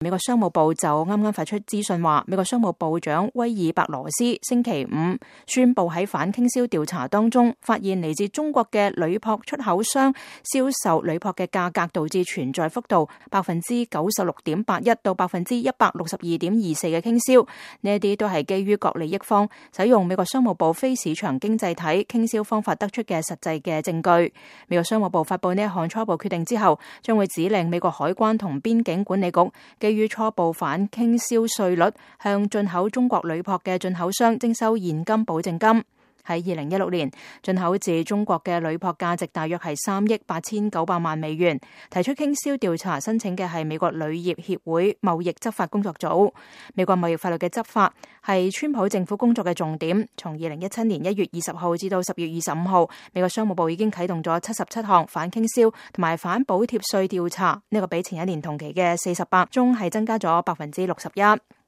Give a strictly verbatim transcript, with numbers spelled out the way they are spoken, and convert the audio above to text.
美國商務部就啱啱發出資訊話，美國商務部長威爾伯羅斯星期五宣布喺反傾銷調查當中，發現嚟自中國嘅鋁箔出口商銷售鋁箔嘅價格導致存在幅度百分之九十六點八一到百分之一百六十二點二四嘅傾銷，呢一啲都係基於各利益方使用美國商務部非市場經濟體傾銷方法得出嘅實際嘅證據。美國商務部發布呢一項初步決定之後，將會指令美國海關同邊境管理局基於初步反傾銷稅率，向進口中國鋁箔嘅進口商徵收現金保證金。喺二零一六年，進口自中國嘅鋁箔價值大約係三億八千九百萬美元。提出傾銷調查申請嘅係美國鋁業協會貿易執法工作組。美國貿易法律嘅執法係川普政府工作嘅重點。從二零一七年一月二十號至到十月二十五號，美國商務部已經啟動咗七十七項反傾銷同埋反補貼稅調查，呢個比前一年同期嘅四十八宗係增加咗百分之六十一。